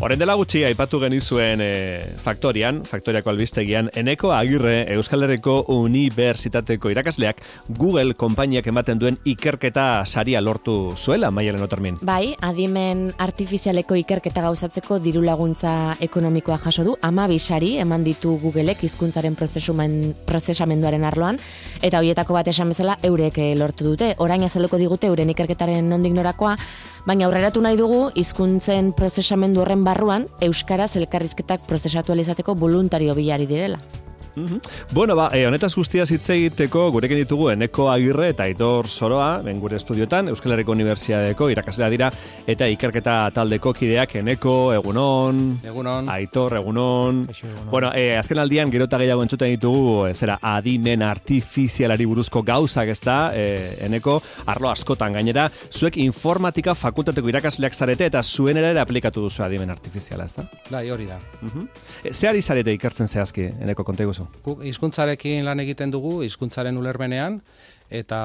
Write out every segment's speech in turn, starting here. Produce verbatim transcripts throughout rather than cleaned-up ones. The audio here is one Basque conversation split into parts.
Orain dela gutxi aipatu genizuen e, Faktorian, Faktoriako albistegian, Eneko Agirre Euskal Herriko Unibertsitateko irakasleak Google konpainiak ematen duen ikerketa saria lortu zuela, Maialen Otermin. Bai, adimen artifizialeko ikerketa gauzatzeko diru laguntza ekonomikoa jaso du, hamabi sari eman ditu Googleek hizkuntzaren prozesamenduaren arloan, eta horietako bat esan bezala eurek lortu dute. Orain azalduko digute euren ikerketaren nondik norakoa, baina aurreratu nahi dugu hizkuntzen prozesamendu horren barruan euskaraz elkarrizketak prozesatu alizateko voluntario bilari direla. Mm-hmm. Bueno, ba, eh, honetaz guztiaz hitz egiteko gurekin ditugu Eneko Agirre eta Aitor Soroa, ben gure estudiotan, Euskal Herriko Unibertsitateko irakaslea dira, eta ikerketa taldeko kideak. Eneko, egunon. Egunon. Aitor, egunon. egunon. Bueno, eh, azken aldian gero eta gehiago entzuten ditugu, eh, zera, adimen artifizialari buruzko gauzak, ez da, eh, Eneko, arlo askotan gainera, zuek informatika fakultateko irakasleak zarete, eta zuen ere aplikatu duzu adimen artifiziala, ez da? Bai, hori da. Uh-huh. E, ze ari zarete ikertzen zehazki, Eneko, konta iguzu? Guk hizkuntzarekin lan egiten dugu, hizkuntzaren ulermenean, eta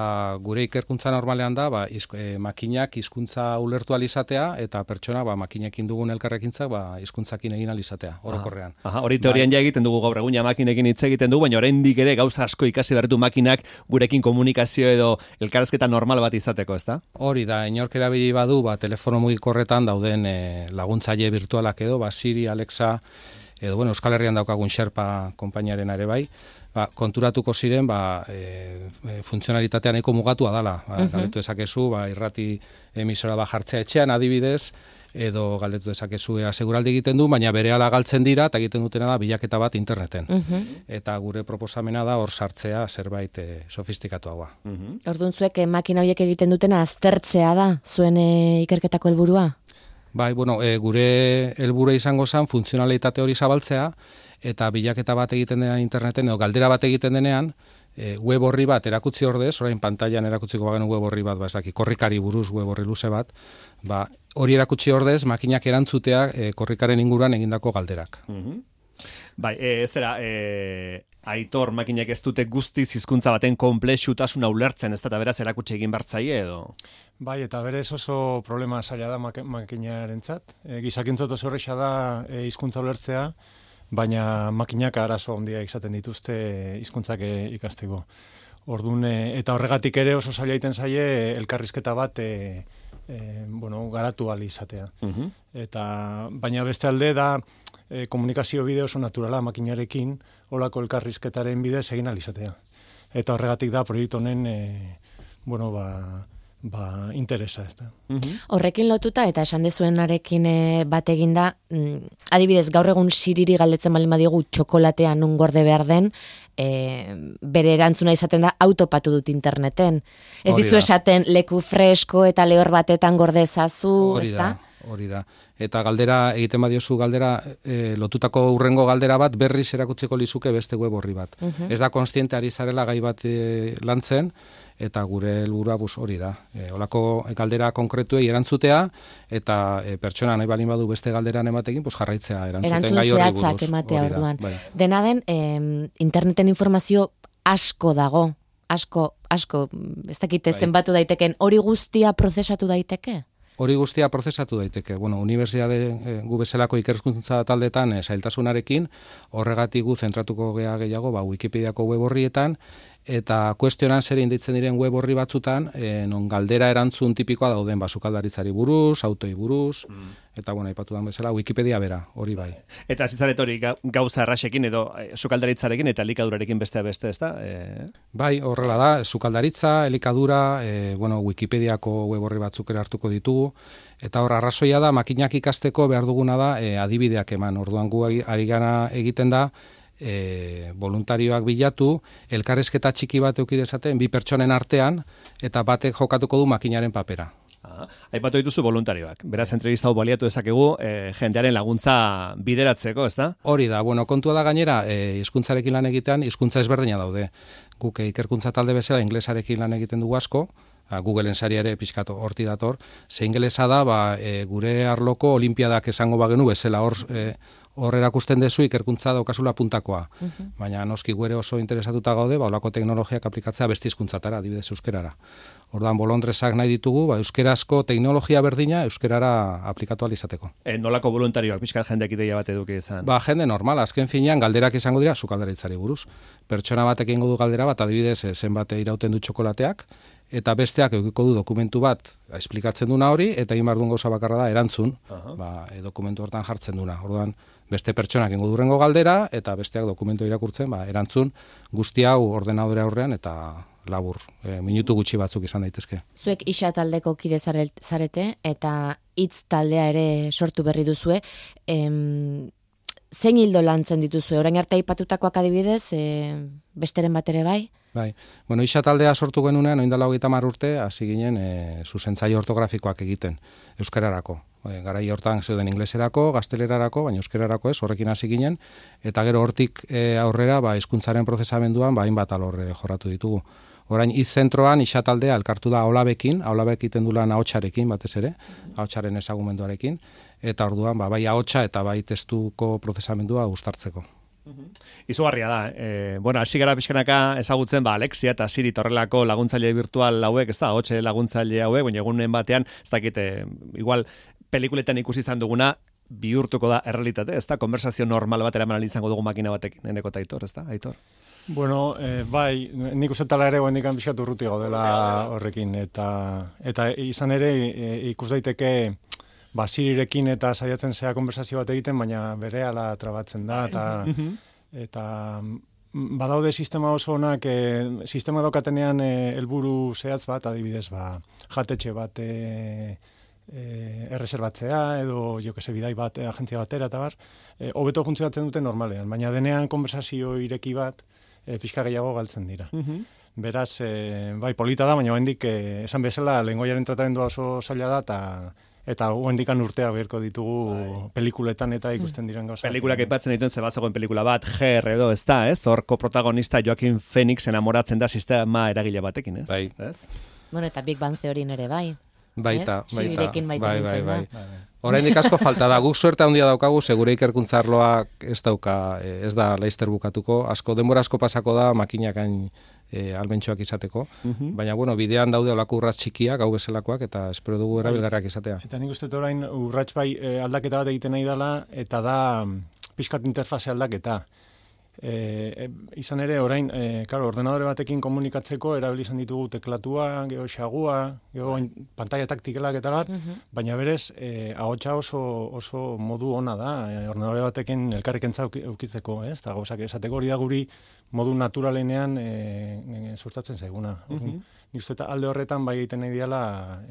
gure ikerkuntza normalean da, ba, izk, e, makinak hizkuntza ulertu alizatea, eta pertsona ba, makinekin dugun elkarrekintzak ba, hizkuntzakin egin alizatea, orokorrean. Aha, hori teorian bai. Ja egiten dugu gaur egun ja makinekin hitz egiten dugu, baina oraindik ere gauza asko ikasi bertu makinak gurekin komunikazio edo elkarrezketa normal bat izateko, ezta? Hori da, inork erabili badu, ba, telefono mugikorretan dauden e, laguntzaile virtualak edo, ba, Siri, Alexa, edo, bueno, Euskal Herrian daukagun Sherpa konpainiaren ere bai, ba, konturatuko ziren, ba, e, e, funtzionalitatea nahiko mugatua dala. Ba, uh-huh. Galdetu dezakezu, ba, irrati emisora ba jartzea etxean adibidez, edo galdetu dezakezu ea seguraldi egiten du, baina berehala galtzen dira, eta egiten dutena da bilaketa bat interneten. Uh-huh. Eta gure proposamena da hor sartzea zerbait e, sofistikatuagoa. Uh-huh. Orduan zuek, makina horiek egiten dutena aztertzea da, zuen e, ikerketako helburua? Bai, bueno, e, gure helburua izango zen funtzionalitate hori zabaltzea, eta bilaketa bat egiten denean interneten, edo galdera bat egiten denean, e, web horri bat erakutzi ordez, orain pantailan erakutziko bagenu web horri bat, ba, ez daki, korrikari buruz web horri luze bat, ba, hori erakutsi ordez, makinak erantzutea e, korrikaren inguruan egindako galderak. Mm-hmm. Bai, e, zera, e, Aitor, makinak ez dute guztiz hizkuntza baten konplexutasuna ulertzen, ez da beraz erakutsi egin bartzaie edo? Bai, eta berez oso problema zaila da mak- makinarentzat. E, gizakintzot oso horreixa da e, hizkuntza ulertzea, baina makinak arazo handia izaten dituzte hizkuntzak e, ikasteko. Ordun e, eta horregatik ere oso zaila egiten zaie elkarrizketa bat e, e, bueno, garatu ahal izatea. Uh-huh. Eta baina beste alde da e, komunikazio bide oso naturala makinarekin, olako elkarrizketaren bidez egin ahal izatea. Eta horregatik da proiektu honen e, bueno, ba ba, interesa, ez da. Uh-huh. Horrekin lotuta, eta esan dezuenarekin e, bat eginda, mm, adibidez, gaur egun Siriri galdetzen baldin badiogu txokolatea nun gorde behar den, e, bere erantzuna izaten da autopatu dut interneten. Ez dizu esaten leku fresko eta lehor batetan gorde ezazu, ez da? Hori da. Eta galdera, egiten badiozu galdera, e, lotutako urrengo galdera bat, berriz erakutzeko lizuke beste web horri bat. Uh-huh. Ez da konstiente ari zarela gai bat e, lantzen, eta gure helburua bus hori da. E, olako galdera konkretuei erantzutea, eta e, pertsona nahi balin badu beste galderan ematekin, pues jarraitzea erantzuten gai horri buruz. Erantzun zehatzak ematea orduan. Bai. Dena den, eh, interneten informazio asko dago, asko, asko, ez dakite bai. Zenbatu daiteken, hori guztia prozesatu daiteke? Hori guztia prozesatu daiteke. Bueno, unibertsitate e, gu bezalako ikerkuntza taldetan e, zailtasunarekin, horregatik gu zentratuko gea gehiago, ba, Wikipediako web horrietan, eta kuestionan zer inditzen diren web horri batzutan, e, non galdera erantzun tipikoa dauden, ba, sukaldaritzari buruz, autoi buruz, mm. eta, bueno, aipatu dan bezala, Wikipedia bera, hori bai. Eta zitzaret hori gauza erraxekin edo e, sukaldaritzarekin eta elikadurarekin bestea beste, ez da? E... Bai, horrela da, sukaldaritza, elikadura, e, bueno, Wikipediako web horri batzuk ere hartuko ditugu, eta hor, arrazoia da, makinak ikasteko behar duguna da, e, adibideak eman, orduan gu ari gana egiten da, E, voluntarioak bilatu, elkarrezketa txiki bat eduki dezaten bi pertsonen artean, eta batek jokatuko du makinaren papera. Ah, aipatu dituzu voluntarioak. Beraz, entrevista hau baliatu dezakegu e, jendearen laguntza bideratzeko, ez da? Hori da, bueno, kontua da gainera, e, hizkuntzarekin lan egitean, hizkuntza ezberdina daude. Guk ikerkuntza talde bezala inglesarekin lan egiten dugu asko, Googleen sari ere pizkatu horti dator, ze ingelesa da, ba, e, gure arloko olimpiadak esango bagenu bezala hor, e, hor erakusten dezu ikerkuntza daukazula puntakoa. Uh-huh. Baina noski guere oso interesatuta gaude, ba, olako teknologiak aplikatzea beste hizkuntzatara, adibidez euskerara. Orduan bolondresak nahi ditugu, ba, euskerazko teknologia berdina euskerara aplikatu ahal izateko. E, nolako voluntarioak, pixkat jendeak ideia bat eduki izan? Ba, jende normal, azken finean galderak izango dira, zu galderitzari buruz. Pertsona batek egingo du galdera bat, adibidez, zenbat irauten du txokolateak, eta besteak edukiko du dokumentu bat esplikatzen duna hori, eta egin behar duen gauza bakarra da erantzun, uh-huh. ba, e, dokumentu hortan jartzen duna. Orduan, beste pertsonak egingo durrengo galdera, eta besteak dokumentu irakurtzen, ba, erantzun guzti hau ordenadore aurrean, eta labur, e, minutu gutxi batzuk izan daitezke. Zuek isa taldeko kide zarete, eta hitz taldea ere sortu berri duzue, em, zein hildo lantzen dituzue? Orain arte aipatutakoak adibidez, e, besteren bat ere bai? Bai, bueno, isa taldea sortu genunean, oindala hogeita hamar urte, hasi ginen e, zuzentzaile ortografikoak egiten, euskararako. E, garai hortan zeuden ingleserako, gaztelerarako, baina euskararako ez, horrekin hasi ginen, eta gero hortik e, aurrera, ba, hizkuntzaren prozesamenduan, ba, hainbat alor e, jorratu ditugu. Orain izzentroan isa taldea elkartu da Olabekin, Olabek egiten du lan ahotsarekin batez ere, ahotsaren ezagumenduarekin, eta orduan ba, bai ahotsa eta bai testuko prozesamendua uztartzeko. Izugarria da. E, bueno, hasi gara pixkanaka ezagutzen, ba, Alexia eta Siri torrelako laguntzaile virtual hauek, ez da, ahotse laguntzaile hauek, baina egunen batean, ez dakit, e, igual, pelikuletan ikusi izan duguna, bihurtuko da errealitate, ez da, konversazio normal bat eraman izango dugu makina batekin, Eneko eta Aitor, ez da, Aitor? Bueno, eh, bai, nik uste tala ere guendikan pixkatu urruti gaudela horrekin, eta eta izan ere e, ikus daiteke ba, Sirirekin eta saiatzen zea konversazio bat egiten, baina berehala trabatzen da, eta, eta badaude sistema oso onak, e, sistema daukatenean helburu zehatz bat, adibidez, ba, jatetxe bat e, e, erreserbatzea, edo jo que se bidai bat, agentzia batera, eta bar, e, hobeto funtzionatzen dute normalean, baina denean konversazio ireki bat, E, pixka gehiago galtzen dira. Uh-huh. Beraz, e, bai, polita da, baina oendik, e, esan bezala, lengoiaren tratamendua oso zaila da, eta eta oendikan urtea beharko ditugu bai. Pelikuletan eta ikusten diren gauza. Pelikulak aipatzen dituen zebazegoen pelikula bat, G R edo, ez da, ez? Horko protagonista Joaquin Phoenix enamoratzen da sistema eragile batekin, ez? Bai. Ez? Bueno, eta Big Bang Theorien ere bai. Baita, baita. Sirirekin baita bai, nintzen bai, da. bai. Oraindik asko falta da, guk suerte handia daukagu, segure ikerkuntza arloak ez dauka, ez da laizter bukatuko, asko denbora asko pasako da makinakain e, almentxoak izateko, uh-huh. baina bueno, bidean daude olako urrats txikiak, hau bezalakoak, eta espero dugu erabilgarriak izatea. Eta nik uste orain urrats bai e, aldaketa bat egiten nahi dela, eta da pixkat interfase aldaketa. E, e, izan ere, orain, e, claro, ordenadore batekin komunikatzeko erabili izan ditugu teklatua, geho xagua, geho pantalla taktikelak eta bar, uh-huh. baina berez, e, ahotsa oso, oso modu ona da, e, ordenadore batekin elkarrekentza eukitzeko, ez? Eta gauzak esateko hori da guri modu naturalenean e, e, suertatzen zaiguna. Uh-huh. Nik uste eta alde horretan bai egiten nahi diala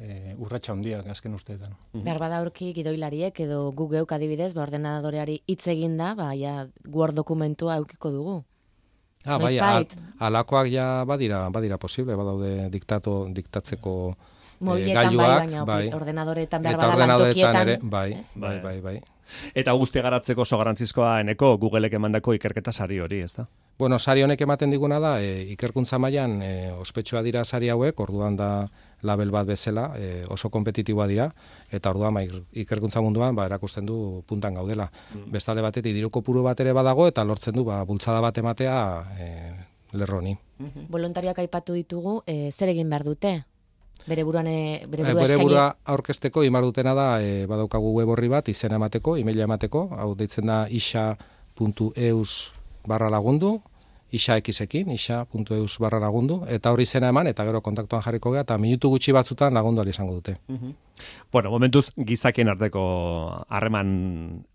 e, urratxa hondiak azken usteetan. Uh-huh. Behar bada aurki gidoilariek edo gu geuk adibidez, ba, ordenadoreari hitz eginda, ba, ja, Word dokumentua eukiko dugu. Ah, bai, al, alakoak ja badira, badira posible, badaude diktato, diktatzeko e, gailuak. Bai, bai. Ordenadoretan behar bada lantokietan. Ere, bai, bai, bai, bai. Eta guztia garatzeko oso garrantzizkoa Eneko Googleek emandako ikerketa sari hori, ez da? Bueno, sari honek ematen diguna da, e, ikerkuntza mailan e, ospetsua dira sari hauek, orduan da label bat bezala, e, oso kompetitiboa dira, eta orduan ba, ikerkuntza munduan ba, erakusten du puntan gaudela. Mm. Bestalde batetik diru kopuru bat ere badago, eta lortzen du ba, bultzada bat ematea e, lerroni. Mm-hmm. Volontariak aipatu ditugu, e, zer egin behar dute? Bere buruan e, bere burua, e, bere burua aurkezteko imar dutena da e, badaukagu web horri bat izena emateko, emaila emateko, hau deitzen da isa puntu eus barra lagundu, isa ekisekin, isa puntu eus barra lagundu, eta hori izena eman, eta gero kontaktuan jarriko gea, eta minutu gutxi batzutan lagundu ali izango dute. Uh-huh. Bueno, momentuz gizakien arteko harreman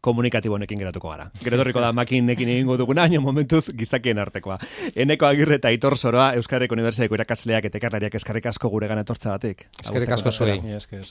komunikatibo honekin geratuko gara. Gero torriko da makinekin egingo duguna, baina momentuz gizakien artekoa. Eneko Agirre eta Aitor Soroa, Euskal Herriko Unibertsitateko irakasleak eta ikerlariak eskerrik asko guregan etortza batik. Eskerrik asko zuei. Esker.